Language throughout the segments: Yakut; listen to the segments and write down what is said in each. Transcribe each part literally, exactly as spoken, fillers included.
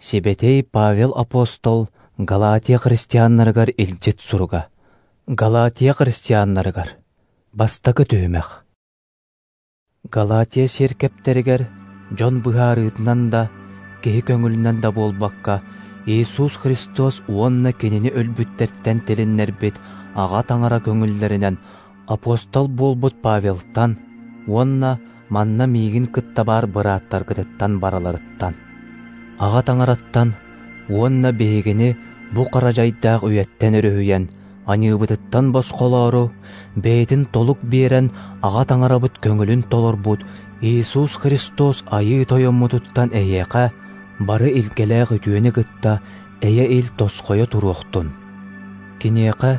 Сибэтиэй Павел апостол Галатия христианнарыгар илдьит суруга. Галатия христианнарыгар. Бастакы түһүмэх. Галатия сиэркэптэригэр дьон быһаарыытынан да, киһи көҥүлүнэн да буолбакка, Иисус Христос уонна кинини өлбүттэртэн тилиннэрбит Аҕа Таҥара көҥүллэринэн апостол буолбут Павелтан уонна манна миигин кытта баар бырааттаргытыттан барыларыттан. Аҕа Таҥараттан уонна биһигини бу хара дьайдаах үйэттэн өрүһүйэн, аньыыбытыттан босхолоору, бэйэтин толук биэрэн Аҕа Таҥарабыт көҥүлүн толорбут Иисус Христос Айыы Тойоммутуттан эйиэхэ бары илгэлээх үтүөнү кытта эйэ-ил тосхойо туруохтун. Киниэхэ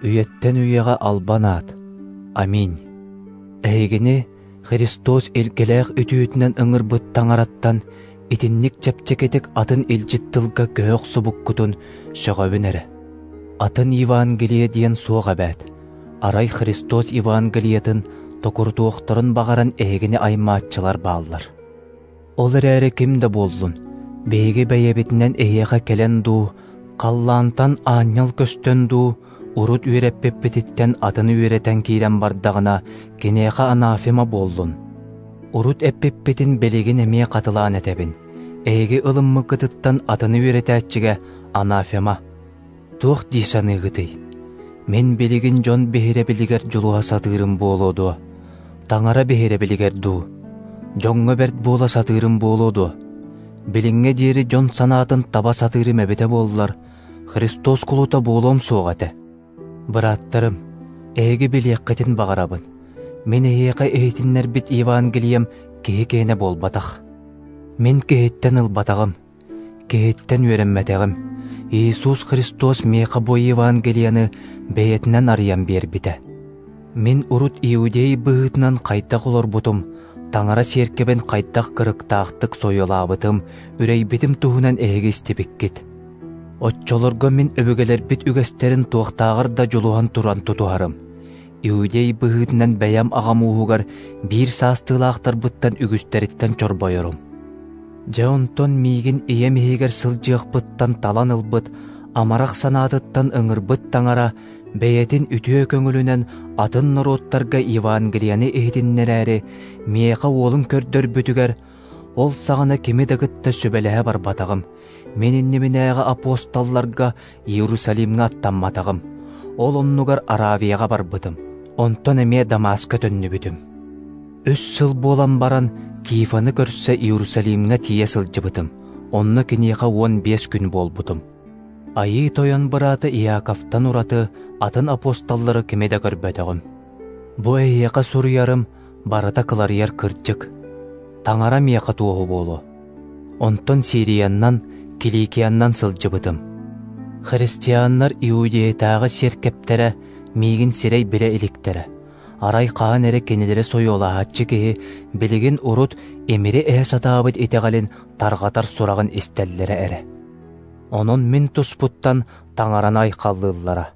үйэттэн үйэҕэ албан аат. Аминь. Эһигини Христос илгэлээх үтүөтүнэн ыҥырбыт Таҥараттан итинник чэпчэкитик атын илдьит тылга көһө охсубуккутун сөҕөбүн эрэ. Атын Евангелие диэн суох эбээт. Арай Христос Евангелиетын токурутуохтарын баҕаран эһигини аймааччылар бааллар. Ол эрээри ким да буоллун, биһиги бэйэбитинэн эһиэхэ кэлэн дуу, халлаантан аанньал көстөн дуу, урут үөрэппиппититтэн атыны үөрэтэн киирэн бардаҕына, киниэхэ анафема буоллун. Урут эппиппитин билигин эмиэ хатылаан этэбин. Эһиги ылыммыккытыттан атыны үөрэтээччигэ анафема. Туох дии саныыгытый? Мин билигин дьон биһирэбилигэр дьулуһа сатыырым буолуо дуо? Таҥара биһирэбилигэр дуу? Дьоҥҥо бэрт буола сатыырым буолуо дуо? Билиҥҥэ диэри дьон санаатын таба сатыырым эбитэ буоллар, Христос кулута буолуом суох этэ. Бырааттарым, эһиги билиэххитин баҕарабын. Мин эһиэхэ иһитиннэрбит Евангелием киһи киэнэ буолбатах. Мин киһиттэн ылбатаҕым, киһиттэн үөрэммэтэҕим. Иисус Христос миэхэ бу Евангелияны бэйэтинэн арыйан биэрбитэ. Мин урут иудей быһыытынан хайдах олорбутум, Таҥара сиэркэбин хайдах кырыктаахтык сойуолаабытым, үрэйбитим туһунан эһиги истибиккит. Оччолорго мин өбүгэлэрбит үгэстэрин туохтааҕар да дьулуһан туран тутуһарым. Иудей быһыытынан бэйэм аҕам ууһугар биир саастыылаахтарбыттан үгүстэриттэн чорбойорум. Дьэ онтон миигин ийэм иһигэр сылдьыахпыттан талан ылбыт, амарах санаатыттан ыҥырбыт Таҥара бэйэтин үтүө көҥүлүнэн атын норуоттарга Евангелияны иһитиннэрээри миэхэ уолун көрдөрбүтүгэр, ол саҕана кими да кытта сүбэлэһэ барбатаҕым. Мин иннибинээҕи апостолларга Иерусалимҥа аттамматаҕым. Ол оннугар Аравияҕа барбытым. Онтон эмиэ Дамаска төннүбүтүм. Үс сыл буолан баран Кифаны көрсө Иерусалимҥа тиийэ сылдьыбытым. Онно киниэхэ уон биэс күн буолбутум. Айыы Тойон быраата Иаковтан ураты атын апостоллары кими да көрбөтөҕүм. Бу эһиэхэ суруйарым барыта кыларыйар кырдьык. Таҥара миэхэ туоһу буолуо. Онтон Сирияннан, Киликияннан сылдьыбытым. Христианнар Иудеятааҕы сиэркэптэрэ миигин сирэй билэ иликтэрэ. Арай хаан эрэ кинилэри сойуолаһааччы киһи билигин урут имири эһэ сатаабыт итэҕэлин тарҕатар сураҕын истэллэрэ эрэ. Онон мин туспуттан Таҥараны айхаллыыллара.